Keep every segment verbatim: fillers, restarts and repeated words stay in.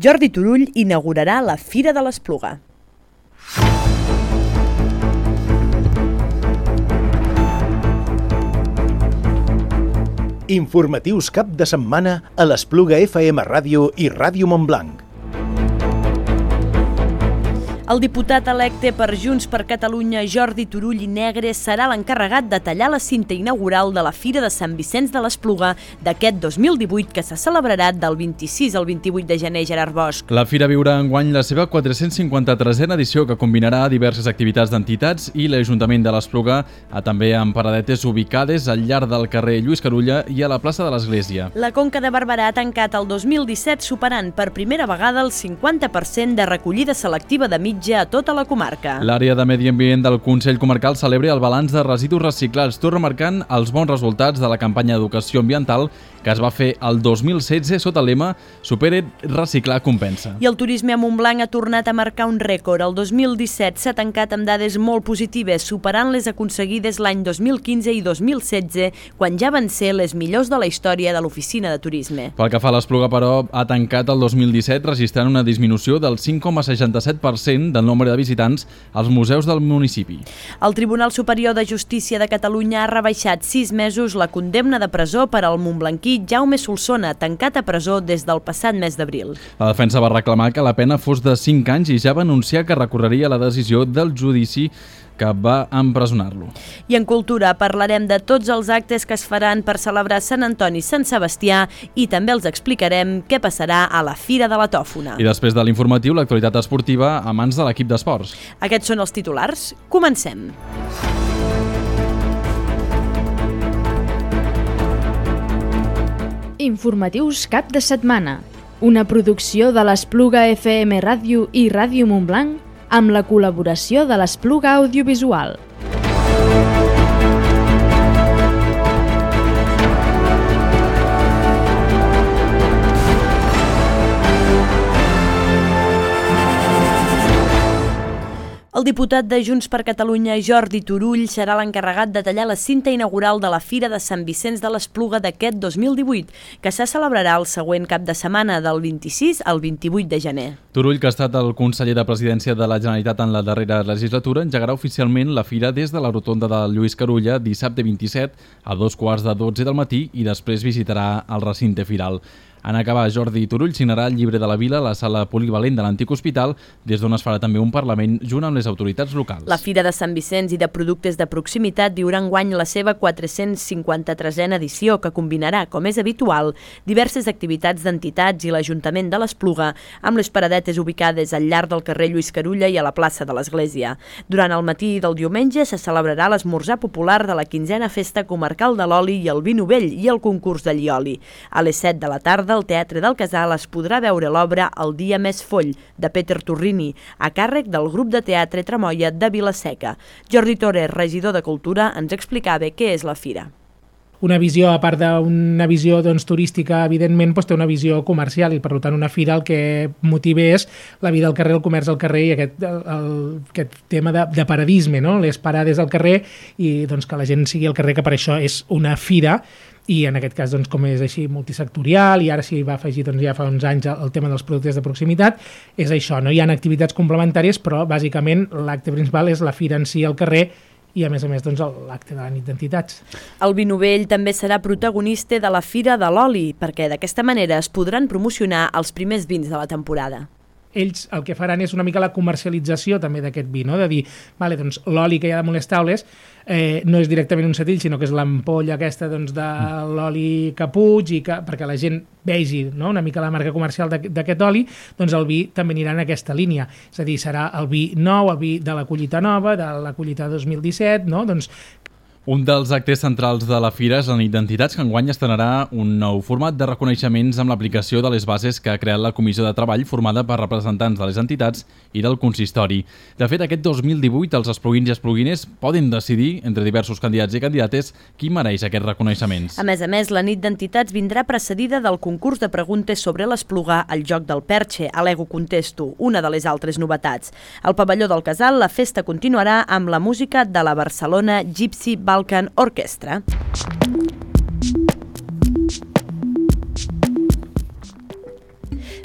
Jordi Turull inaugurarà la Fira de l'Espluga. Informatius cap de setmana a l'Espluga F M Ràdio i Ràdio Montblanc. El diputat electe per Junts per Catalunya, Jordi Turull i Negre, serà l'encarregat de tallar la cinta inaugural de la Fira de Sant Vicenç de l'Espluga d'aquest dos mil divuit, que se celebrarà del vint-i-sis al vint-i-vuit de gener, Gerard Bosch. La Fira viurà enguany la seva quatre-cents cinquanta-tresena edició, que combinarà diverses activitats d'entitats i l'Ajuntament de l'Espluga, també amb paradetes ubicades al llarg del carrer Lluís Carulla i a la plaça de l'Església. La Conca de Barberà ha tancat el dos mil disset superant per primera vegada el cinquanta per cent de recollida selectiva de mitja a tota la comarca. L'àrea de Medi Ambient del Consell Comarcal celebra el balanç de residus reciclats, tot remarcant els bons resultats de la campanya d'educació ambiental que es va fer el dos mil setze sota el lema Supere, reciclar, compensa. I el turisme a Montblanc ha tornat a marcar un rècord. El dos mil disset s'ha tancat amb dades molt positives, superant les aconseguides l'any dos mil quinze i dos mil setze, quan ja van ser les millors de la història de l'oficina de turisme. Pel que fa a l'Espluga, però, ha tancat el dos mil disset registrant una disminució del cinc coma seixanta-set per cent del nombre de visitants als museus del municipi. El Tribunal Superior de Justícia de Catalunya ha rebaixat sis mesos la condemna de presó per al montblanquí Jaume Solsona, tancat a presó des del passat mes d'abril. La defensa va reclamar que la pena fos de cinc anys i ja va anunciar que recorreria la decisió del judici que va empresonar-lo. I en cultura parlarem de tots els actes que es faran per celebrar Sant Antoni i Sant Sebastià i també els explicarem què passarà a la Fira de la Tòfona. I després de l'informatiu, l'actualitat esportiva a mans de l'equip d'esports. Aquests són els titulars. Comencem. Informatius cap de setmana. Una producció de l'Espluga F M Ràdio i Ràdio Montblanc amb la col·laboració de l'Espluga Audiovisual. El diputat de Junts per Catalunya, Jordi Turull, serà l'encarregat de tallar la cinta inaugural de la Fira de Sant Vicenç de l'Espluga d'aquest dos mil divuit, que se celebrarà el següent cap de setmana del vint-i-sis al vint-i-vuit de gener. Turull, que ha estat el conseller de Presidència de la Generalitat en la darrera legislatura, engegarà oficialment la fira des de la rotonda de Lluís Carulla dissabte vint-i-set a dos quarts de dotze del matí i després visitarà el recinte firal. En acabar, Jordi Turull signarà el llibre de la Vila a la sala polivalent de l'antic hospital, des d'on es farà també un Parlament junt amb les autoritats locals. La Fira de Sant Vicenç i de productes de proximitat viurà enguany la seva quatre-cents cinquanta-tresena edició, que combinarà, com és habitual, diverses activitats d'entitats i l'Ajuntament de l'Espluga, amb les paradetes ubicades al llarg del carrer Lluís Carulla i a la plaça de l'Església. Durant el matí del diumenge se celebrarà l'esmorzar popular de la quinzena Festa Comarcal de l'Oli i el Vi Novell i el concurs de Llioli. A les set de la tarda, al Teatre del Casal es podrà veure l'obra El dia més foll, de Peter Torrini, a càrrec del grup de teatre Tramoia de Vila-seca. Jordi Torres, regidor de Cultura, ens explicava què és la fira. Una visió, a part d'una visió doncs, turística, evidentment, doncs, té una visió comercial i, per tant, una fira el que motiva és la vida al carrer, el comerç al carrer i aquest, el, aquest tema de, de paradisme, no? Les parades al carrer i doncs, que la gent sigui al carrer, que per això és una fira i en aquest cas, doncs, com és així multisectorial i ara s'hi va afegir doncs, ja fa uns anys el tema dels productes de proximitat, és això, no? Hi ha activitats complementàries, però bàsicament l'acte principal és la fira en si al carrer i a més a més doncs, l'acte de la nit d'entitats. El Vi Novell també serà protagonista de la Fira de l'Oli, perquè d'aquesta manera es podran promocionar els primers vins de la temporada. Ells el que faran és una mica la comercialització també d'aquest vi, no? De dir, vale, doncs, l'oli que hi ha damunt les taules eh, no és directament un setrill, sinó que és l'ampolla aquesta doncs, de l'oli Caputx, i que, perquè la gent vegi, no? Una mica la marca comercial d'aquest oli, doncs el vi també anirà en aquesta línia. És a dir, serà el vi nou, el vi de la collita nova, de la collita dos mil disset, no? Doncs un dels actes centrals de la fira és la nit d'entitats, que enguany estrenarà un nou format de reconeixements amb l'aplicació de les bases que ha creat la Comissió de Treball formada per representants de les entitats i del consistori. De fet, aquest dos mil divuit els espluguins i espluguines poden decidir, entre diversos candidats i candidates, qui mereix aquests reconeixements. A més a més, la nit d'entitats vindrà precedida del concurs de preguntes sobre l'Espluga, el joc del Perche, Alego Contesto, una de les altres novetats. Al pavelló del Casal, la festa continuarà amb la música de la Barcelona Gypsy Balkan Orchestra.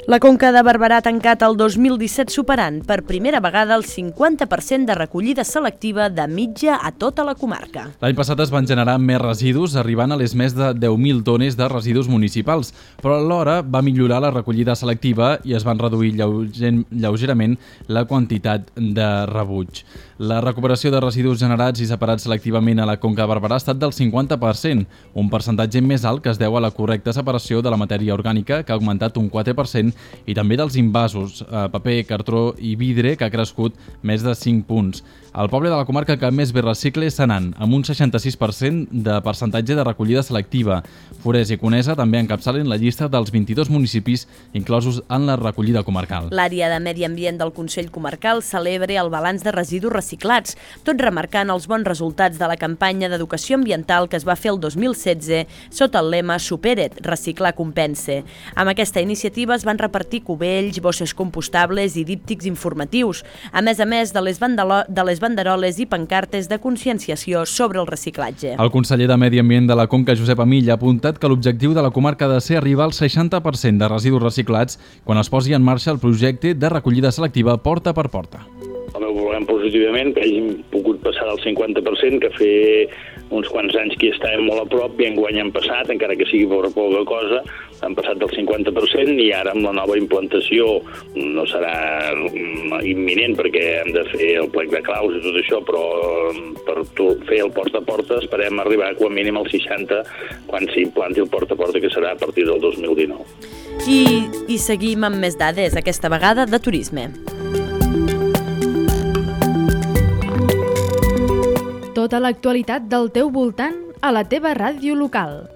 La Conca de Barberà ha tancat el dos mil disset superant per primera vegada el cinquanta per cent de recollida selectiva de mitja a tota la comarca. L'any passat es van generar més residus, arribant a les més de deu mil tones de residus municipals, però alhora va millorar la recollida selectiva i es van reduir lleugerament la quantitat de rebuig. La recuperació de residus generats i separats selectivament a la Conca de Barberà ha estat del cinquanta per cent, un percentatge més alt que es deu a la correcta separació de la matèria orgànica, que ha augmentat un quatre per cent, i també dels invasos, paper, cartró i vidre, que ha crescut més de cinc punts. El poble de la comarca que més bé recicla és Senan, amb un seixanta-sis per cent de percentatge de recollida selectiva. Forès i Conesa també encapçalen la llista dels vint-i-dos municipis inclosos en la recollida comarcal. L'àrea de Medi Ambient del Consell Comarcal celebra el balanç de residus reciclats, tot remarcant els bons resultats de la campanya d'educació ambiental que es va fer el dos mil setze sota el lema Supera't, reciclar compense. Amb aquesta iniciativa es van repartir cubells, bosses compostables i díptics informatius, a més a més de les, de les banderoles i pancartes de conscienciació sobre el reciclatge. El conseller de Medi Ambient de la Conca, Josep Amill, ha apuntat que l'objectiu de la comarca ha de ser arribar al seixanta per cent de residus reciclats quan es posi en marxa el projecte de recollida selectiva porta per porta. El meu volem positivament que hàgim pogut passar del cinquanta per cent, que fer uns quants anys que estàvem molt a prop i enguany han passat, encara que sigui per poca cosa, han passat del cinquanta per cent i ara amb la nova implantació no serà imminent perquè hem de fer el plec de claus i tot això, però per fer el porta a porta esperem arribar com a mínim al seixanta quan s'implanti el porta a porta, que serà a partir del dos mil dinou. I, i seguim amb més dades, aquesta vegada de turisme. Tota l'actualitat del teu voltant a la teva ràdio local.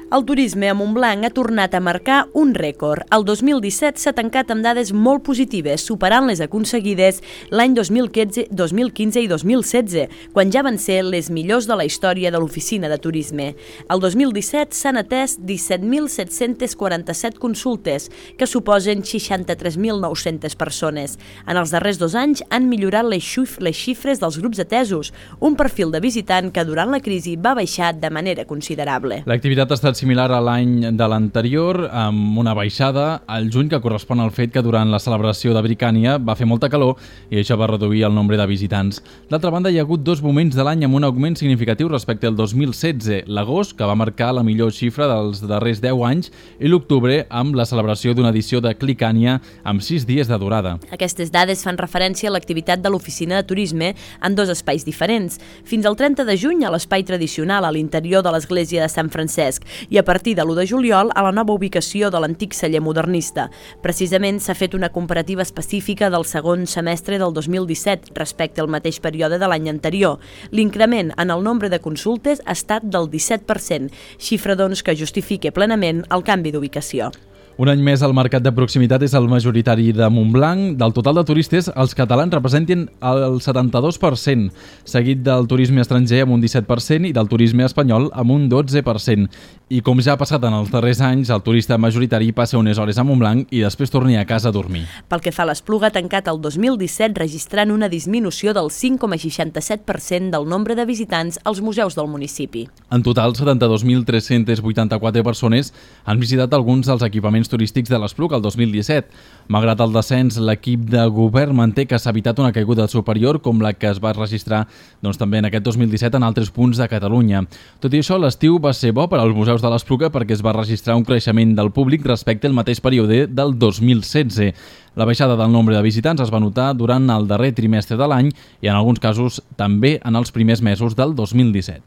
El turisme a Montblanc ha tornat a marcar un rècord. El dos mil disset s'ha tancat amb dades molt positives, superant les aconseguides l'any dos mil quinze i dos mil setze, quan ja van ser les millors de la història de l'oficina de turisme. El dos mil disset s'han atès disset mil set-cents quaranta-set consultes, que suposen seixanta-tres mil nou-centes persones. En els darrers dos anys han millorat les xifres dels grups atesos, un perfil de visitant que durant la crisi va baixar de manera considerable. L'activitat ha estat similar a l'any de l'anterior, amb una baixada al juny que correspon al fet que durant la celebració de Bricània va fer molta calor i això va reduir el nombre de visitants. D'altra banda, hi ha hagut dos moments de l'any amb un augment significatiu respecte al dos mil setze, l'agost, que va marcar la millor xifra dels darrers deu anys, i l'octubre, amb la celebració d'una edició de Clicània amb sis dies de durada. Aquestes dades fan referència a l'activitat de l'oficina de turisme en dos espais diferents. Fins al trenta de juny a l'espai tradicional a l'interior de l'església de Sant Francesc i a partir de l'u de juliol a la nova ubicació de l'antic celler modernista. Precisament s'ha fet una comparativa específica del segon semestre del dos mil disset respecte al mateix període de l'any anterior. L'increment en el nombre de consultes ha estat del disset per cent, xifra doncs que justifica plenament el canvi d'ubicació. Un any més, el mercat de proximitat és el majoritari de Montblanc. Del total de turistes, els catalans representen el setanta-dos per cent, seguit del turisme estranger amb un disset per cent i del turisme espanyol amb un dotze per cent. I com ja ha passat en els darrers anys, el turista majoritari passa unes hores a Montblanc i després torni a casa a dormir. Pel que fa a l'Espluga, ha tancat el dos mil disset registrant una disminució del cinc coma seixanta-set per cent del nombre de visitants als museus del municipi. En total, setanta-dos mil tres-cents vuitanta-quatre persones han visitat alguns dels equipaments turístics de l'Espluga el dos mil disset. Malgrat el descens, l'equip de govern manté que s'ha evitat una caiguda superior com la que es va registrar doncs, també en aquest dos mil disset en altres punts de Catalunya. Tot i això, l'estiu va ser bo per als museus de l'Espluga perquè es va registrar un creixement del públic respecte al mateix període del dos mil setze. La baixada del nombre de visitants es va notar durant el darrer trimestre de l'any i en alguns casos també en els primers mesos del dos mil disset.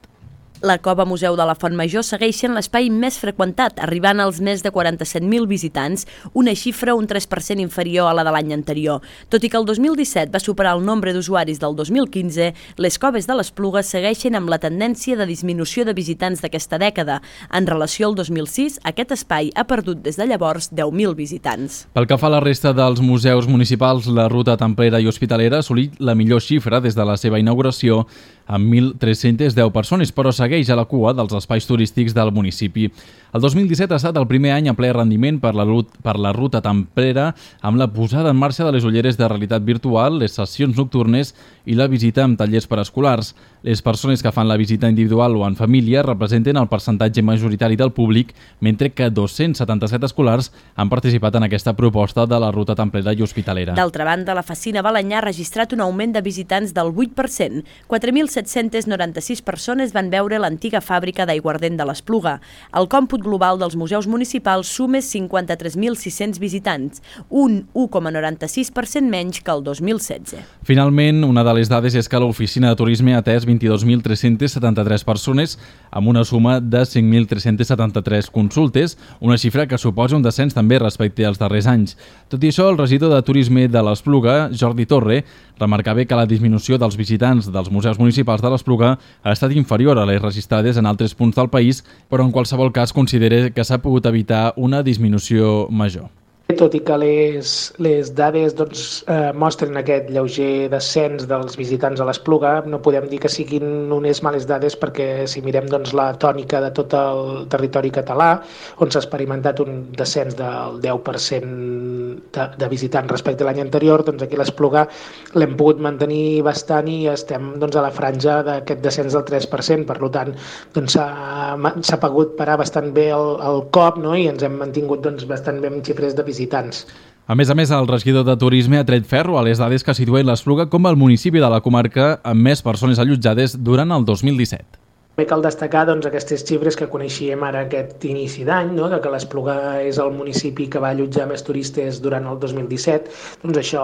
La Cova Museu de la Font Major segueix sent l'espai més freqüentat, arribant als més de quaranta-set mil visitants, una xifra un tres per cent inferior a la de l'any anterior. Tot i que el dos mil disset va superar el nombre d'usuaris del dos mil quinze, les coves de l'Espluga segueixen amb la tendència de disminució de visitants d'aquesta dècada. En relació al dos mil sis, aquest espai ha perdut des de llavors deu mil visitants. Pel que fa a la resta dels museus municipals, la ruta templera i hospitalera ha assolit la millor xifra des de la seva inauguració amb mil tres-cents deu persones, però segueix segueix a la cua dels espais turístics del municipi. El dos mil disset ha estat el primer any a ple rendiment per la, per la ruta temprera amb la posada en marxa de les ulleres de realitat virtual, les sessions nocturnes i la visita amb tallers per escolars. Les persones que fan la visita individual o en família representen el percentatge majoritari del públic, mentre que dos-cents setanta-set escolars han participat en aquesta proposta de la ruta temprera i hospitalera. D'altra banda, la Facina Balenyà ha registrat un augment de visitants del vuit per cent. quatre mil set-cents noranta-sis persones van veure l'antiga fàbrica d'aiguardent de l'Espluga. El còmput global dels museus municipals suma cinquanta-tres mil sis-cents visitants, un u coma noranta-sis per cent menys que el dos mil setze. Finalment, una de les dades és que l'oficina de turisme ha atès vint-i-dos mil tres-cents setanta-tres persones amb una suma de cinc mil tres-cents setanta-tres consultes, una xifra que suposa un descens també respecte als darrers anys. Tot i això, el regidor de Turisme de l'Espluga, Jordi Torre, remarcava que la disminució dels visitants dels museus municipals de l'Espluga ha estat inferior a les registrades en altres punts del país, però en qualsevol cas considera que s'ha pogut evitar una disminució major. Tot i que les, les dades doncs, eh, mostren aquest lleuger descens dels visitants a l'Espluga, no podem dir que siguin unes males dades perquè si mirem doncs, la tònica de tot el territori català, on s'ha experimentat un descens del deu per cent de, de visitants respecte a l'any anterior, doncs aquí a l'Espluga l'hem pogut mantenir bastant i estem doncs, a la franja d'aquest descens del tres per cent. Per tant, doncs, s'ha pogut parar bastant bé el, el cop, no? I ens hem mantingut doncs, bastant bé amb xifres de visitants. A més a més, el regidor de Turisme ha tret ferro a les dades que situen l'Espluga com el municipi de la comarca amb més persones allotjades durant el dos mil disset. També cal destacar doncs, aquestes xifres que coneixíem ara aquest inici d'any, no? De que l'Espluga és el municipi que va allotjar més turistes durant el dos mil disset. Doncs això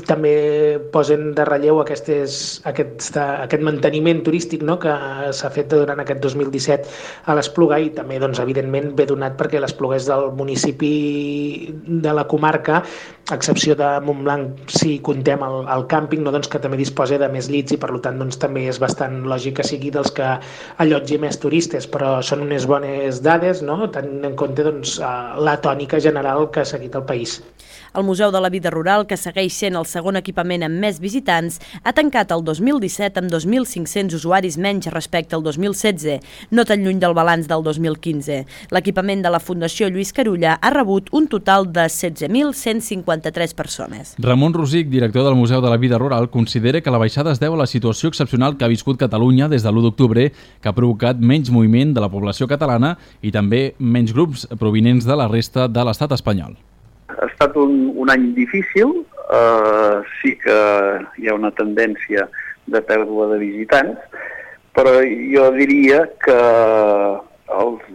també posen de relleu aquestes, aquest, aquest manteniment turístic, no? Que s'ha fet durant aquest dos mil disset a l'Espluga i també doncs, evidentment ve donat perquè l'Espluga és del municipi de la comarca, a excepció de Montblanc si comptem el, el càmping, no? Doncs que també disposa de més llits i per tant doncs, també és bastant lògic que sigui dels que allotgi més turistes, però són unes bones dades, no? Tenint en compte doncs, la tònica general que ha seguit el país. El Museu de la Vida Rural, que segueix sent el segon equipament amb més visitants, ha tancat el dos mil disset amb dos mil cinc-cents usuaris menys respecte al dos mil setze, no tan lluny del balanç del dos mil quinze. L'equipament de la Fundació Lluís Carulla ha rebut un total de setze mil cent cinquanta-tres persones. Ramon Rosic, director del Museu de la Vida Rural, considera que la baixada es deu a la situació excepcional que ha viscut Catalunya des de l'u d'octubre, que ha provocat menys moviment de la població catalana i també menys grups provinents de la resta de l'estat espanyol. Ha estat un, un any difícil, eh, sí que hi ha una tendència de pèrdua de visitants, però jo diria que els,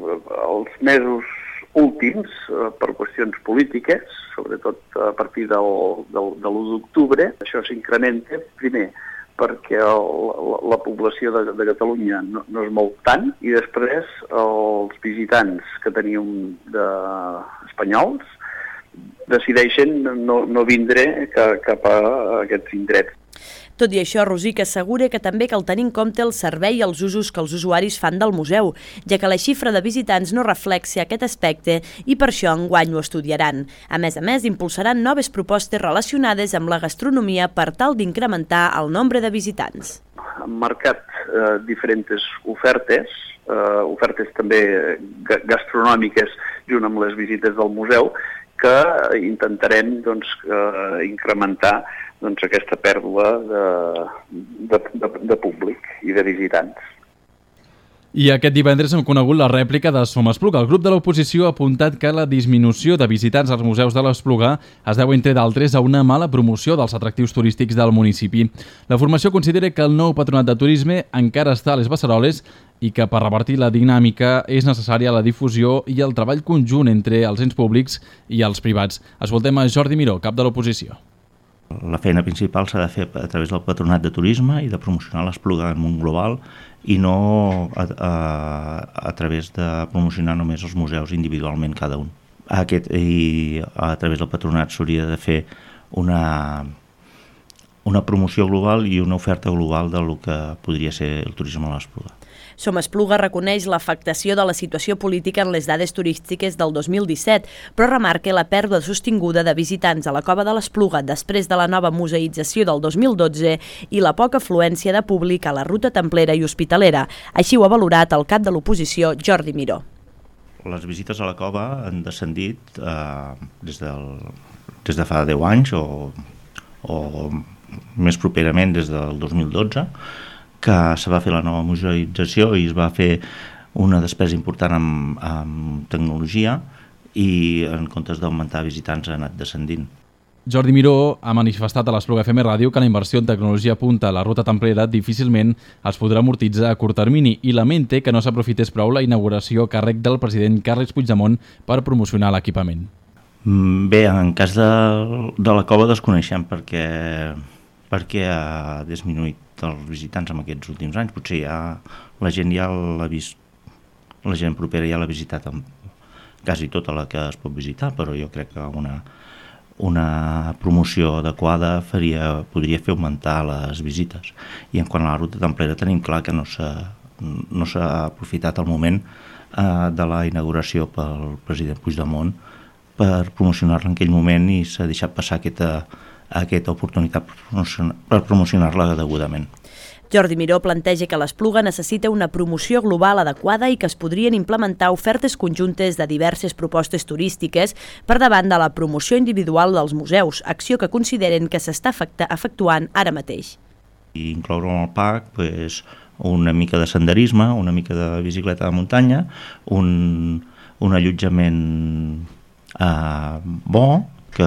els mesos últims, eh, per qüestions polítiques, sobretot a partir del, del, de l'u d'octubre, això s'incrementa, primer, perquè el, la, la població de, de Catalunya no, no es mou tant, i després els visitants que teníem de, espanyols decideixen no, no vindre cap, cap a aquests indrets. Tot i això, Rosic assegura que també cal tenir en compte el servei i els usos que els usuaris fan del museu, ja que la xifra de visitants no reflexa aquest aspecte i per això enguany ho estudiaran. A més a més, impulsaran noves propostes relacionades amb la gastronomia per tal d'incrementar el nombre de visitants. Han marcat eh, diferents ofertes, eh, ofertes també gastronòmiques junt amb les visites del museu, que intentarem doncs, eh, incrementar doncs, aquesta pèrdua de, de, de, de públic i de visitants. I aquest divendres hem conegut la rèplica de Som Espluga. El grup de l'oposició ha apuntat que la disminució de visitants als museus de l'Espluga es deu, entre d'altres, a una mala promoció dels atractius turístics del municipi. La formació considera que el nou Patronat de Turisme encara està a les beceroles i que per revertir la dinàmica és necessària la difusió i el treball conjunt entre els ens públics i els privats. Escoltem a Jordi Miró, cap de l'oposició. La feina principal s'ha de fer a través del Patronat de Turisme i de promocionar l'Espluga en un global i no a, a, a través de promocionar només els museus individualment cada un. Aquest, i a través del Patronat s'hauria de fer una, una promoció global i una oferta global del que podria ser el turisme a l'Espluga. Som Espluga reconeix l'afectació de la situació política en les dades turístiques del dos mil disset, però remarca la pèrdua sostinguda de visitants a la Cova de l'Espluga després de la nova museïtzació del dos mil dotze i la poca afluència de públic a la ruta templera i hospitalera. Així ho ha valorat el cap de l'oposició, Jordi Miró. Les visites a la cova han descendit eh, des, del, des de fa deu anys o, o més properament des del dos mil dotze, que se va fer la nova museïtzació i es va fer una despesa important amb, amb tecnologia i en comptes d'augmentar visitants ha anat descendint. Jordi Miró ha manifestat a l'Espluga F M Ràdio que la inversió en tecnologia punta a la ruta templera difícilment es podrà amortitzar a curt termini i lamenta que no s'aprofités prou la inauguració a càrrec del president Carles Puigdemont per promocionar l'equipament. Bé, en cas de, de la cova desconeixem perquè, perquè ha disminuït els visitants en aquests últims anys. Potser ja la gent ja l'ha vist, la gent propera ja l'ha visitat amb quasi tota la que es pot visitar, però jo crec que una, una promoció adequada faria, podria fer augmentar les visites. I en quant a la ruta templera tenim clar que no s'ha no s'ha aprofitat el moment eh, de la inauguració pel president Puigdemont per promocionar-la en aquell moment i s'ha deixat passar aquesta aquesta oportunitat per promocionar-la degudament. Jordi Miró planteja que l'Espluga necessita una promoció global adequada i que es podrien implementar ofertes conjuntes de diverses propostes turístiques per davant de la promoció individual dels museus, acció que consideren que s'està efectuant ara mateix. I incloure en el parc pues, una mica de senderisme, una mica de bicicleta de muntanya, un, un allotjament eh, bo, que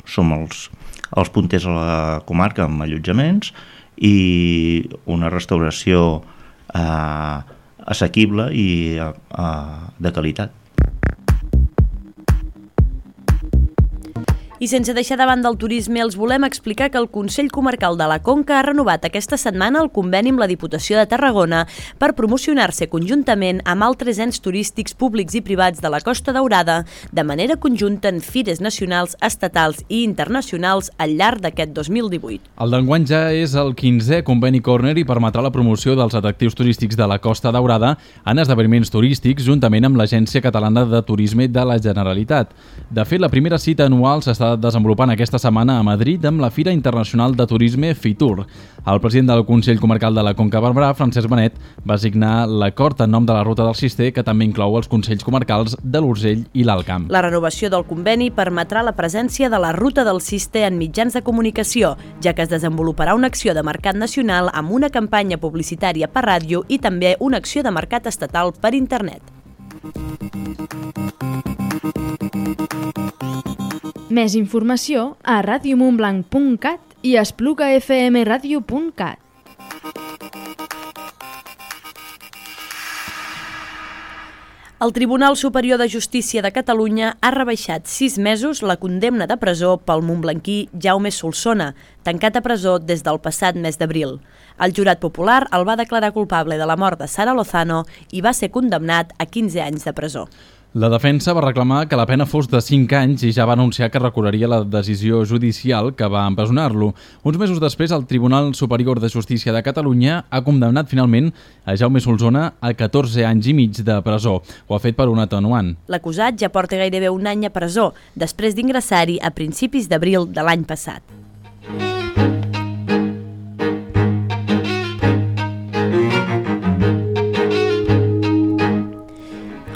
som els, els punters a la comarca amb allotjaments i una restauració eh, assequible i eh, de qualitat. I sense deixar de banda el turisme, els volem explicar que el Consell Comarcal de la Conca ha renovat aquesta setmana el conveni amb la Diputació de Tarragona per promocionar-se conjuntament amb altres ens turístics públics i privats de la Costa Daurada de manera conjunta en fires nacionals, estatals i internacionals al llarg d'aquest dos mil divuit. El d'enguany ja és el quinzè conveni Corner i permetrà la promoció dels atractius turístics de la Costa Daurada en esdeveniments turístics juntament amb l'Agència Catalana de Turisme de la Generalitat. De fet, la primera cita anual s'està desenvolupant aquesta setmana a Madrid amb la Fira Internacional de Turisme FITUR. El president del Consell Comarcal de la Conca Barberà, Francesc Benet, va signar l'acord en nom de la Ruta del Cister, que també inclou els Consells Comarcals de l'Urgell i l'Alt Camp. La renovació del conveni permetrà la presència de la Ruta del Cister en mitjans de comunicació, ja que es desenvoluparà una acció de mercat nacional amb una campanya publicitària per ràdio i també una acció de mercat estatal per internet. Més informació a radio montblanc punt cat i espluga f m radio punt cat. El Tribunal Superior de Justícia de Catalunya ha rebaixat sis mesos la condemna de presó pel montblanquí Jaume Solsona, tancat a presó des del passat mes d'abril. El jurat popular el va declarar culpable de la mort de Sara Lozano i va ser condemnat a quinze anys de presó. La defensa va reclamar que la pena fos de cinc anys i ja va anunciar que recorreria la decisió judicial que va empresonar-lo. Uns mesos després, el Tribunal Superior de Justícia de Catalunya ha condemnat finalment a Jaume Solsona a catorze anys i mig de presó. Ho ha fet per un atenuant. L'acusat ja porta gairebé un any a presó, després d'ingressar-hi a principis d'abril de l'any passat.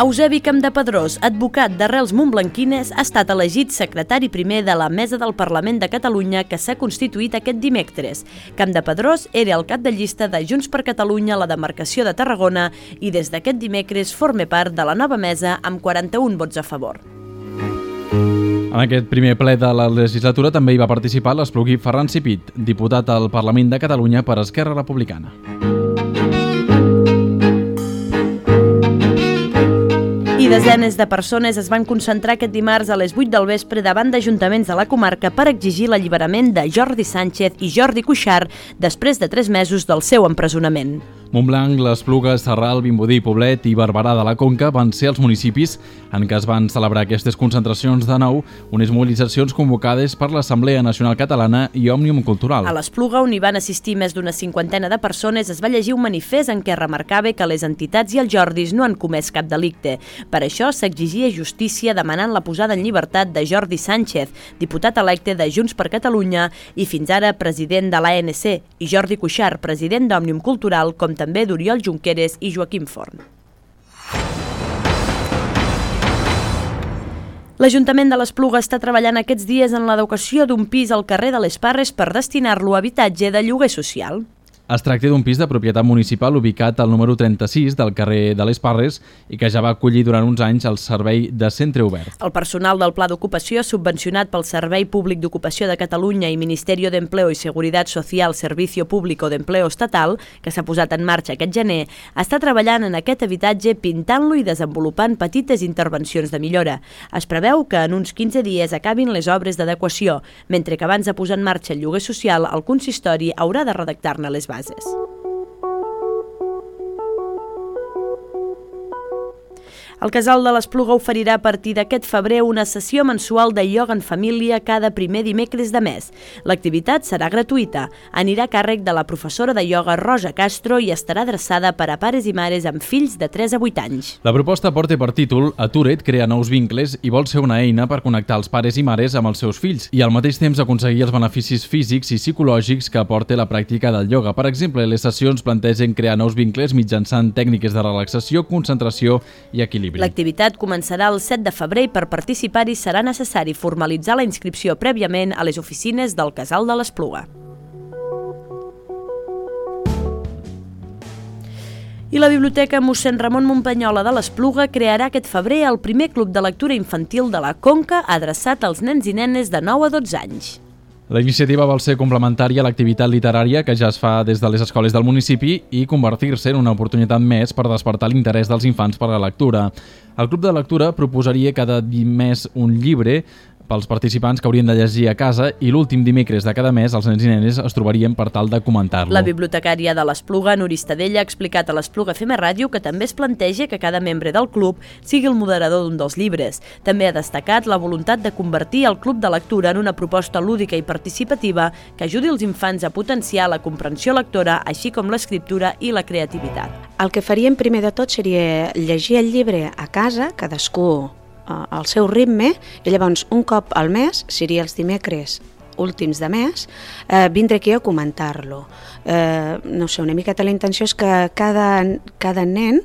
Eusebi Campdepadrós, advocat d'arrels montblanquines, ha estat elegit secretari primer de la Mesa del Parlament de Catalunya que s'ha constituït aquest dimecres. Campdepadrós era el cap de llista de Junts per Catalunya a la demarcació de Tarragona i des d'aquest dimecres forma part de la nova mesa amb quaranta-un vots a favor. En aquest primer ple de la legislatura també hi va participar l'espluguí Ferran Cipit, diputat al Parlament de Catalunya per Esquerra Republicana. I desenes de persones es van concentrar aquest dimarts a les vuit del vespre davant d'ajuntaments de la comarca per exigir l'alliberament de Jordi Sánchez i Jordi Cuixart després de tres mesos del seu empresonament. Montblanc, l'Espluga, Sarral, Vimbodí, Poblet i Barberà de la Conca van ser els municipis en què es van celebrar aquestes concentracions de nou, unes mobilitzacions convocades per l'Assemblea Nacional Catalana i Òmnium Cultural. A l'Espluga, on hi van assistir més d'una cinquantena de persones, es va llegir un manifest en què remarcava que les entitats i els Jordis no han comès cap delicte. Per això s'exigia justícia demanant la posada en llibertat de Jordi Sánchez, diputat electe de Junts per Catalunya i fins ara president de l'A N C, i Jordi Cuixart, president d'Òmnium Cultural, com també d'Oriol Junqueras i Joaquim Forn. L'Ajuntament de l'Espluga està treballant aquests dies en l'adequació d'un pis al carrer de les Parres per destinar-lo a habitatge de lloguer social. Es tracta d'un pis de propietat municipal ubicat al número trenta-sis del carrer de les Parres i que ja va acollir durant uns anys el servei de centre obert. El personal del Pla d'Ocupació, subvencionat pel Servei Públic d'Ocupació de Catalunya i Ministerio de Empleo y Seguridad Social Servicio Público de Empleo Estatal, que s'ha posat en marxa aquest gener, està treballant en aquest habitatge pintant-lo i desenvolupant petites intervencions de millora. Es preveu que en uns quinze dies acabin les obres d'adequació, mentre que abans de posar en marxa el lloguer social, el consistori haurà de redactar-ne les bases. El Casal de l'Espluga oferirà a partir d'aquest febrer una sessió mensual de ioga en família cada primer dimecres de mes. L'activitat serà gratuïta, anirà a càrrec de la professora de ioga Rosa Castro i estarà adreçada per a pares i mares amb fills de tres a vuit anys. La proposta porta per títol Atura't, crea nous vincles i vol ser una eina per connectar els pares i mares amb els seus fills i al mateix temps aconseguir els beneficis físics i psicològics que aporta la pràctica del ioga. Per exemple, les sessions plantegen crear nous vincles mitjançant tècniques de relaxació, concentració i equilibri. L'activitat començarà el set de febrer i per participar-hi serà necessari formalitzar la inscripció prèviament a les oficines del Casal de l'Espluga. I la Biblioteca mossèn Ramon Muntanyola de l'Espluga crearà aquest febrer el primer club de lectura infantil de la Conca adreçat als nens i nenes de nou a dotze anys. La iniciativa vol ser complementària a l'activitat literària que ja es fa des de les escoles del municipi i convertir-se en una oportunitat més per despertar l'interès dels infants per la lectura. El Club de Lectura proposaria cada mes un llibre pels participants que haurien de llegir a casa i l'últim dimecres de cada mes els nens i nenes es trobarien per tal de comentar-lo. La bibliotecària de l'Espluga, Nuri Estadella, ha explicat a l'Espluga F M Ràdio que també es planteja que cada membre del club sigui el moderador d'un dels llibres. També ha destacat la voluntat de convertir el Club de Lectura en una proposta lúdica i participativa que ajudi els infants a potenciar la comprensió lectora, així com l'escriptura i la creativitat. El que faríem primer de tot seria llegir el llibre a casa, cadascú al seu ritme, i llavors un cop al mes, seria els dimecres últims de mes, eh, vindré aquí a comentar-lo. Eh, no sé, una miqueta la intenció és que cada, cada nen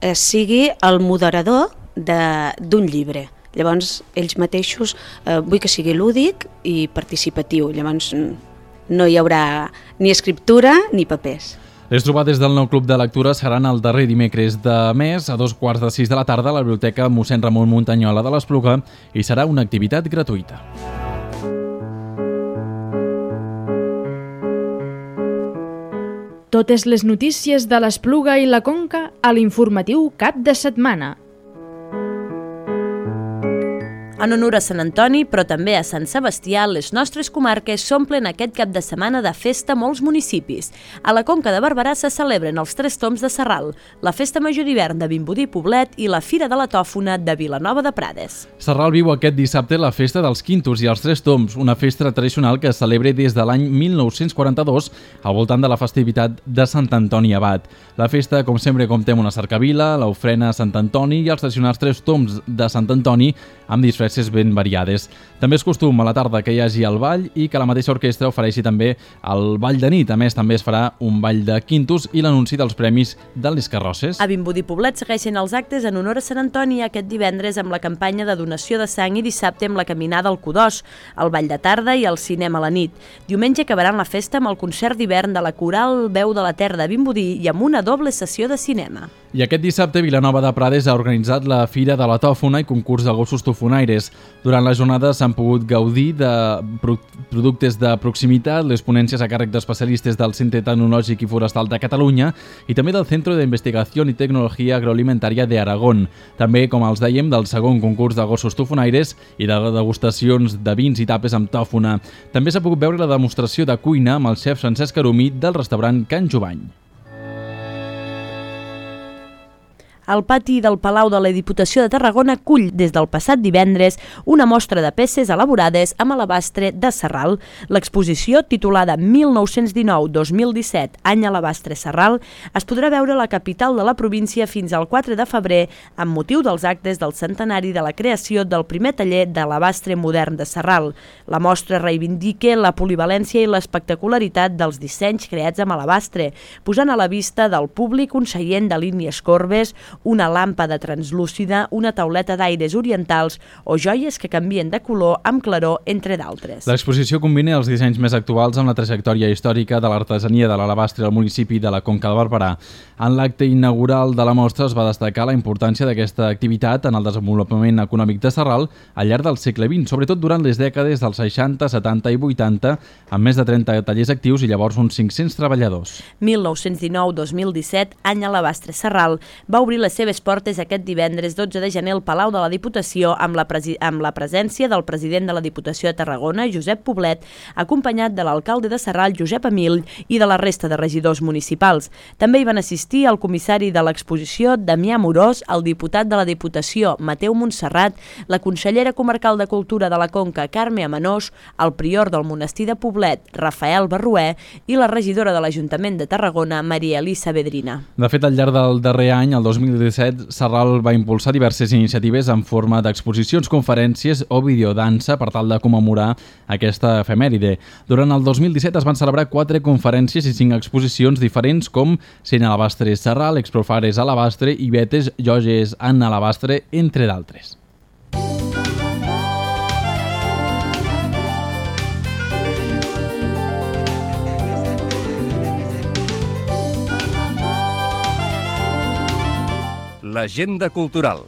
eh, sigui el moderador d'un llibre. Llavors, ells mateixos eh, vull que sigui lúdic i participatiu. Llavors, no hi haurà ni escriptura ni papers. Les trobades del nou club de lectura seran el darrer dimecres de mes a dos quarts de sis de la tarda a la Biblioteca mossèn Ramon Muntanyola de l'Espluga i serà una activitat gratuïta. Totes les notícies de l'Espluga i la Conca a l'informatiu Cap de Setmana. En honor a Sant Antoni, però també a Sant Sebastià, les nostres comarques s'omplen aquest cap de setmana de festa molts municipis. A la Conca de Barberà se celebren els Tres Tombs de Sarral, la Festa Major d'Hivern de Vimbodí Poblet i la Fira de la Tòfona de Vilanova de Prades. Sarral viu aquest dissabte la Festa dels Quintos i els Tres Tombs, una festa tradicional que es celebra des de l'any mil nou-cents quaranta-dos al voltant de la festivitat de Sant Antoni Abat. La festa, com sempre, compta amb una cercavila, l'ofrena a Sant Antoni i els tradicionals Tres Tombs de Sant Antoni amb disfresses ben variades. També és costum a la tarda que hi hagi el ball i que la mateixa orquestra ofereixi també el ball de nit. A més, també es farà un ball de quintos i l'anunci dels premis de les carrosses. A Vimbodí Poblet segueixen els actes en honor a Sant Antoni aquest divendres amb la campanya de donació de sang i dissabte amb la caminada al Codós, el ball de tarda i el cinema a la nit. Diumenge acabaran la festa amb el concert d'hivern de la Coral Veu de la Terra de Vimbodí i amb una doble sessió de cinema. I aquest dissabte Vilanova de Prades ha organitzat la Fira de la Tòfona i concurs de gossos tofonaires. Durant la jornada s'han pogut gaudir de productes de proximitat, les ponències a càrrec d'especialistes del Centre Tecnològic i Forestal de Catalunya i també del Centro de Investigació i Tecnologia Agroalimentària de Aragón. També, com els dèiem, del segon concurs de gossos tofonaires i de degustacions de vins i tapes amb tòfona. També s'ha pogut veure la demostració de cuina amb el xef Francesc Aromí del restaurant Can Jovany. El pati del Palau de la Diputació de Tarragona cull des del passat divendres una mostra de peces elaborades amb alabastre de Sarral. L'exposició, titulada mil nou-cents dinou dos mil disset, any alabastre Sarral, es podrà veure a la capital de la província fins al quatre de febrer amb motiu dels actes del centenari de la creació del primer taller d'alabastre modern de Sarral. La mostra reivindica la polivalència i l'espectacularitat dels dissenys creats amb alabastre, posant a la vista del públic un seient de línies corbes, una làmpada translúcida, una tauleta d'aires orientals o joies que canvien de color amb claror, entre d'altres. L'exposició combina els dissenys més actuals amb la trajectòria històrica de l'artesania de l'alabastre al municipi de la Conca de Barberà. En l'acte inaugural de la mostra es va destacar la importància d'aquesta activitat en el desenvolupament econòmic de Sarral al llarg del segle vint, sobretot durant les dècades dels seixanta, setanta i vuitanta, amb més de trenta tallers actius i llavors uns cinc-cents treballadors. mil nou-cents dinou dos mil disset, any alabastre Sarral, va obrir les seves portes aquest divendres dotze de gener al Palau de la Diputació amb la, amb la presència del president de la Diputació de Tarragona, Josep Poblet, acompanyat de l'alcalde de Sarral, Josep Amill, i de la resta de regidors municipals. També hi van assistir el comissari de l'exposició, Damià Morós, el diputat de la Diputació, Mateu Montserrat, la consellera comarcal de Cultura de la Conca, Carme Amenós, el prior del monestir de Poblet, Rafael Barrué, i la regidora de l'Ajuntament de Tarragona, Maria Elisa Vedrina. De fet, al llarg del darrer any, el dos mil disset, Sarral va impulsar diverses iniciatives en forma d'exposicions, conferències o videodansa per tal de commemorar aquesta efemèride. Durant el dos mil disset es van celebrar quatre conferències i cinc exposicions diferents com Cent alabastres Sarral, Exprofares alabastre i Betes joies en alabastre, entre d'altres. L'agenda cultural.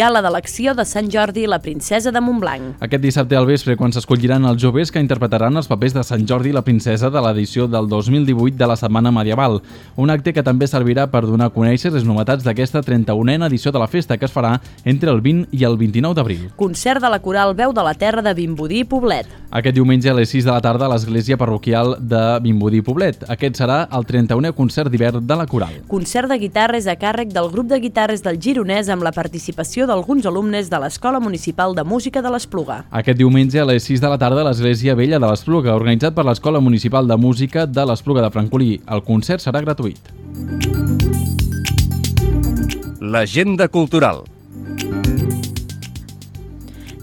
Gala d'elecció de Sant Jordi i la princesa de Montblanc. Aquest dissabte al vespre, quan s'escolliran els joves que interpretaran els papers de Sant Jordi i la princesa de l'edició del dos mil divuit de la Setmana Medieval. Un acte que també servirà per donar a conèixer les novetats d'aquesta trenta-unena edició de la festa, que es farà entre el vint i el vint-i-nou d'abril. Concert de la coral Veu de la Terra de Vimbodí i Poblet. Aquest diumenge a les sis de la tarda a l'església parroquial de Vimbodí i Poblet. Aquest serà el trenta-unè concert d'hivern de la coral. Concert de guitarres a càrrec del grup de guitarres del Gironès amb la participació d'alguns alumnes de l'Escola Municipal de Música de l'Espluga. Aquest diumenge a les sis de la tarda a l'Església Vella de l'Espluga, organitzat per l'Escola Municipal de Música de l'Espluga de Francolí. El concert serà gratuït. L'agenda cultural.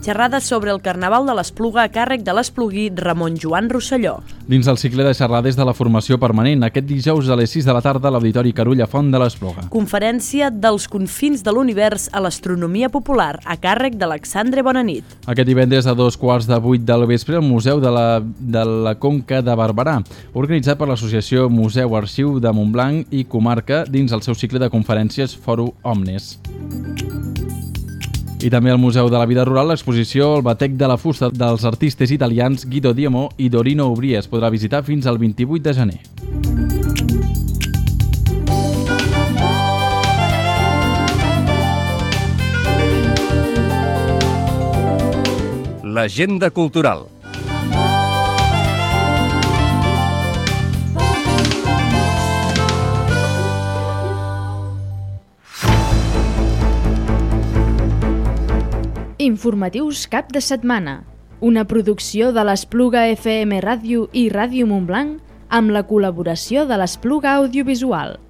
Xerrades sobre el Carnaval de l'Espluga a càrrec de l'esplugui Ramon Joan Rosselló. Dins el cicle de xerrades de la formació permanent, aquest dijous a les sis de la tarda a l'Auditori Carulla Font de l'Espluga. Conferència dels confins de l'univers a l'astronomia popular a càrrec d'Alexandre Bonanit. Aquest divendres a dos quarts de vuit del vespre al Museu de la, de la Conca de Barberà, organitzat per l'associació Museu Arxiu de Montblanc i Comarca dins el seu cicle de conferències Foro Omnes. I també al Museu de la Vida Rural, l'exposició El batec de la fusta dels artistes italians Guido Diemo i Dorino Ubrí es podrà visitar fins al vint-i-vuit de gener. L'agenda cultural. Informatius cap de setmana. Una producció de l'Espluga F M Ràdio i Ràdio Montblanc amb la col·laboració de l'Espluga Audiovisual.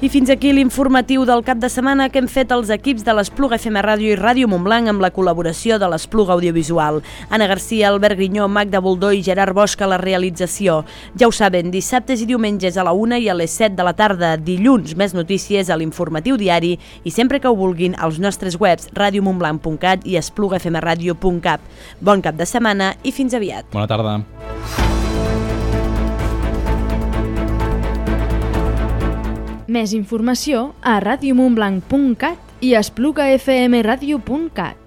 I fins aquí l'informatiu del cap de setmana que hem fet els equips de l'Espluga F M Ràdio i Ràdio Montblanc amb la col·laboració de l'Espluga Audiovisual. Anna Garcia, Albert Grinyó, Magda Boldó i Gerard Bosch a la realització. Ja ho saben, dissabtes i diumenges a la una i a les set de la tarda. Dilluns, més notícies a l'informatiu diari i sempre que ho vulguin als nostres webs radio montblanc punt cat i espluga f m radio punt cap. Bon cap de setmana i fins aviat. Bona tarda. Més informació a radio montblanc punt cat i espluga f m radio punt cat.